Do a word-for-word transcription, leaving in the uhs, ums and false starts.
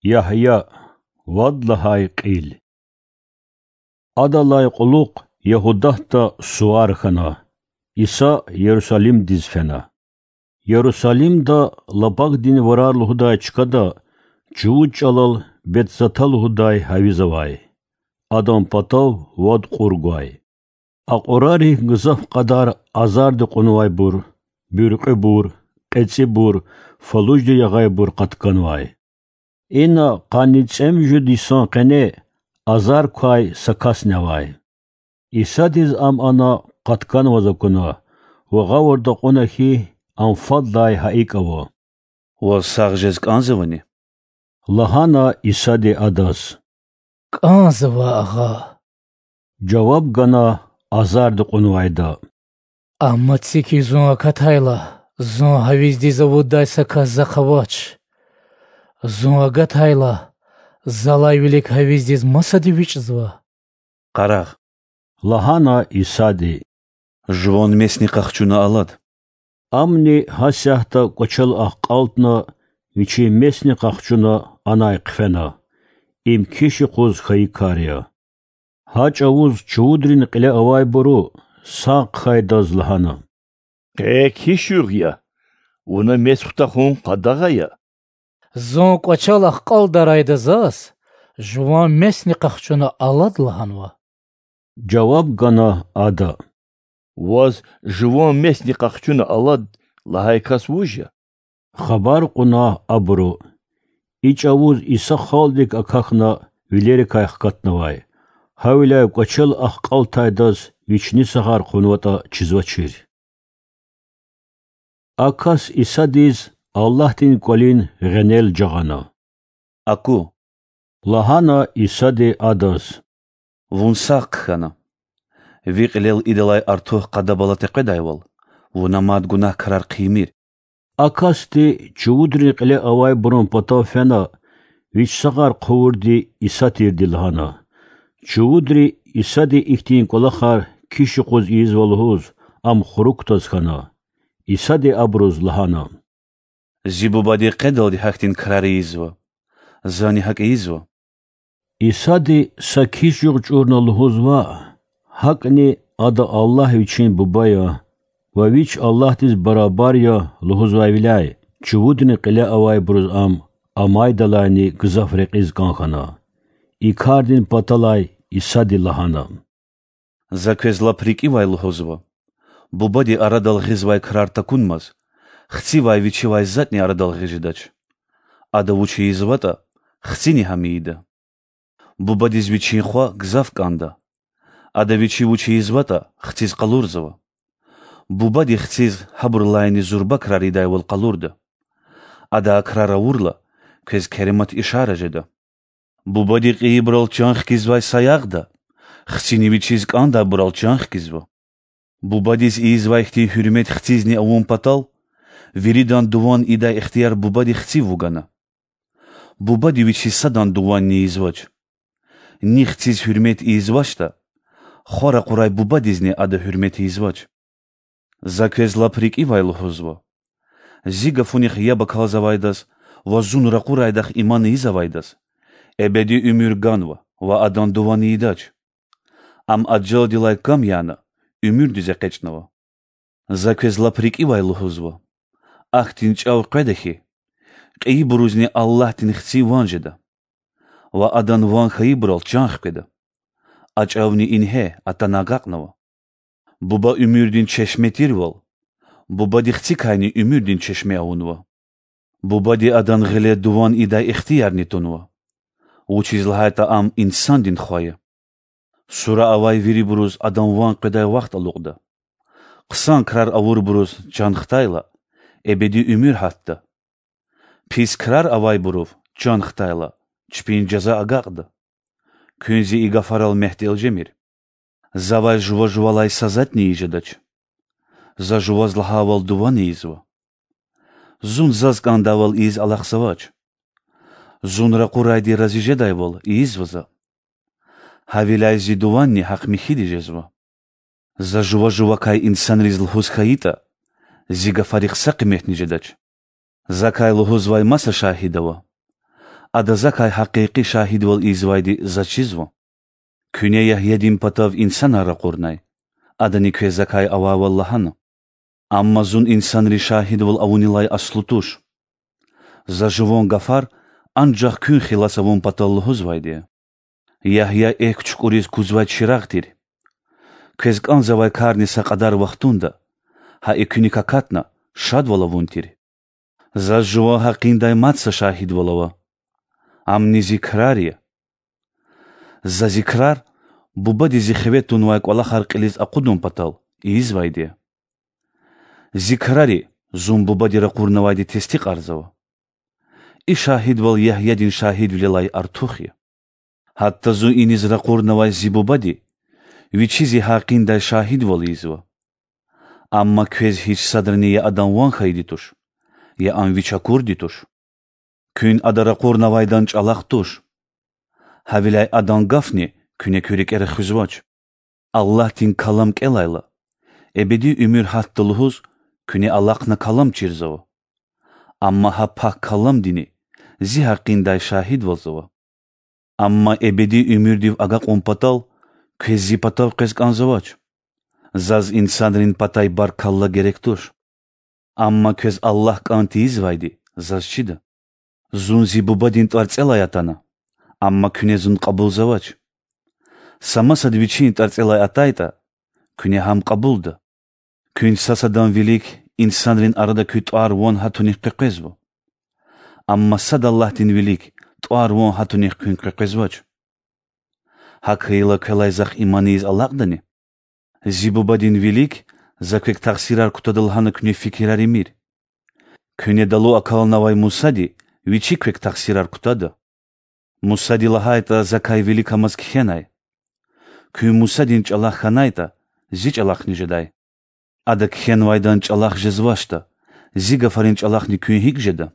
Ягья, вад лагьай кьил. Адалай кьулухъ Ягьудатда сувар хьана, Иса Ярусалимдиз фена. Ярусалимда Лабагдин варар лугьудай чкада чувуд чӀалал Бетзата лугьудай гьавиз авай. Адан патав вад кьур гвай. А кьурарихъ гзаф кьадар азарди кьунвайбур, буьркьуьбур, кьецӀибур, фалужди ягъайбур къатканвай. Ина къанни цӀемуьжуьд йисан къене азар квай са касни авай. Исадиз ам ана къатканваз акуна ва гъавурда кьуна хьи, ам фадлай гьа икӀ ава. Ваз сагъ жез кӀанзавани? Лагьана Исади адаз. КӀанзава, агъа. Жаваб гана азарди кьунвайда. Амма цики зун акатайла, зун гьавиздиз авуддай са кас захъ авач. Зун агатайла, залай вилик гьавиздиз масади вичӀзава. Къарагъ, лагьана Исади, жуван месни къахчуна алад. Амни гьасятда кӀвачел ахкьалтна, вичин месни къахчуна анай хъфена. Им киш юкъуз хьайи кар я. Гьа чӀавуз чувудрин кьиле авайбуру сагъ хъхьайдаз лагьана. Къе киш югъ я, вуна мес хутахун къадагъа я. Зун кӀвачел ахкьалдарайда заз жуван месни къахчуна алад лагьанва. Жаваб гана ада. Ваз жуван месни къахчуна алад лагьай кас вуж я? Хабар кьуна абуру. И чӀавуз Иса халкьдик акахьна вилерикай хкатнавай. Гьавиляй кӀвачел ахкьалтайдаз вични сагъар хъувунватӀа чизвачир. А кас Исадиз Аллагьдин кӀвалин гъенел жагъана. Аку, лагьана Исади адаз. Вун сагъ хъхьана. Ви кьилел идалай артух къадабалат экъведайвал, вуна мад гунагь крар хъийимир. А касди чувудрин кьиле авайбурун патав фена, вич сагъар хъувурди Иса тирди лагьана. Чувудри Исади ихьтин кӀвалахар киш юкъуз ийизва лугьуз, ам хурукдаз хьана. Исади абуруз лагьана. Зи Бубади къедалди гьахьтин крар ийизва, зани гьакӀ ийизва. Исади са киш югъ чӀурна лугьуз ваъ, гьакӀни Ада Аллагь Вичин Буба я ва Вич Аллагьдиз барабар я лугьузвайвиляй, чувудрин кьиле авайбуруз ам амайдалайни гзаф рекьиз кӀан хьана. И кардин паталай Исади лагьана. За квез лап рикӀивай лугьузва: Бубади арадал гъизвай крар такунмаз, Хцивай Вичивай затӀни арадал гъиз жедач. Ада вуч ийизватӀа, Хцини гьам ийида. Бубадиз Вичин Хва гзаф кӀанда. Ада Вичи вуч ийизватӀа, Хциз къалурзава. Бубади Хциз гьабурулайни зурба крар ийидайвал къалурда. Ада а крар авурла, квез керемат ишара жеда. Бубади кьейибурал чан хкизвай саягъда, Хцини Вичиз кӀандайбурал чан хкизва. Бубадиз ийизвай хьтин гьуьрмет Хцизни авун патал, виридан дуван ийидай ихтияр Бубади Хцив вугана. Бубади Вичиз садан дуванни ийизвач. Ни Хциз гьуьрмет ийизвачтӀа, Хва ракъурай Бубадизни Ада гьуьрмет ийизвач. За квез лап рикӀивай лугьузва: Зи гафунихъ яб акалзавайдаз ва Зун ракъурайдахъ иман ийизвайдаз эбеди уьмуьр ганва ва адан дуван ийидач. Ам ажалдилай кам яна, уьмуьрдиз экъечӀнава. За квез лап рикӀивай лугьузва: ахьтин чӀав къведа хьи, кьейибурузни Аллагьдин Хци ван жеда ва Адан ван хьайибурал чан хкведа. А чӀавни ингье атана агакьнава. Буба уьмуьрдин чешме тирвал, Бубади Хцикайни уьмуьрдин чешме авунва. Бубади Адан гъиле дуван ийидай ихтиярни тунва, вучиз лагьайтӀа Ам Инсандин Хва я. Сура авай вирибуруз Адан ван къведай вахт алукьда. Хъсан крар авурбуруз чан хтайла, эбеди уьмуьр гьатда. Пис крар авайбурув чан хтайла, чпин жаза агакьда. Куьн Зи и гафарал мягьтел жемир. Завай жува-жувалай са затӀни ийиз жедач. За жуваз лагьайвал дуван ийизва. Зун Заз кӀандайвал ийиз алахъзавач. Зун ракъурайди рази жедайвал ийизва За. Гьавиляй Зи дуванни гьахъ-михьиди жезва. За жува-жувакай инсанриз лугьуз хьайитӀа, Зи гафарихъ са къиметни жедач. Закай лугьузвай маса шагьид ава. Ада Закай гьакъикъи шагьидвал ийизвайди Заз чизва. Куьне Ягьядин патав инсанар ракъурнай, адани квез Закай авайвал лагьана. Амма Зун инсанриз шагьидвал авунилай аслу туш. За жуван гафар анжах куьн хилас авун патал лугьузвайди я. Ягья экв чукӀуриз кузвай чирагъ тир. Квез кӀанзавай карни са кьадар вахтунда, гьа и куьник акатна, шадвал авун тир. Заз жуван гьакъиндай мад са шагьидвал ава. Амни зи крар я. За зи крар Бубади зи хиве тунвай кӀвалахар кьилиз акъудун патал ийизвайди я. Зи крари Зун Бубади ракъурнавайди тестикьарзава. И шагьидвал Ягьядин шагьидвилелай артух я. Гьатта Зун иниз ракъурнавай Зи Бубади Вичи Зи гьакъиндай шагьидвал ийизва. Амма квез гьич садрани я Адан ван хьайиди туш, я Ам Вич акурди туш. Куьн Ада ракъурнавайдан чӀалахъ туш. Гьавиляй Адан гафни куьне куь рикӀера хуьзвач. Аллагьдин Калам кӀелайла, эбеди уьмуьр гьатда лугьуз, куьне алахъна Калам чирзава. Амма гьа Пак Каламдини Зи гьакъиндай шагьидвалзава. Амма эбеди уьмуьрдив агакьун патал квез Зи патав къвез кӀанзавач. Заз инсанрин патай баркалла герек туш. Амма квез Аллагь кӀан тийизвайди Заз чида. Зун Зи Бубадин тӀварцӀелай атана, амма куьне Зун кьабулзавач. Са масад Вичин тӀварцӀелай атайтӀа, куьне гьам кьабулда. Куьн са-садан вилик инсанрин арада куь тӀвар-ван гьатунихъ къекъвезва. Амма сад Аллагьдин вилик тӀвар-ван гьатунихъ куьн къекъвезвач. ГьакӀ хьайила квелай Захъ иман ийиз алакьдани? Зи Бубадин вилик За квек тахсирар кутада лагьана куьне фикирар ийимир. Куьне далу акалнавай Мусади Вичи квек тахсирар кутада. Мусади лагьайтӀа, Закай виликамаз кхьенай. Куьн Мусадин чӀалахъ хьанайтӀа, Зи чӀалахъни жедай. Ада кхьенвайдан чӀалахъ жезвачтӀа, Зи гафарин чӀалахъни куьн гьикӀ жеда?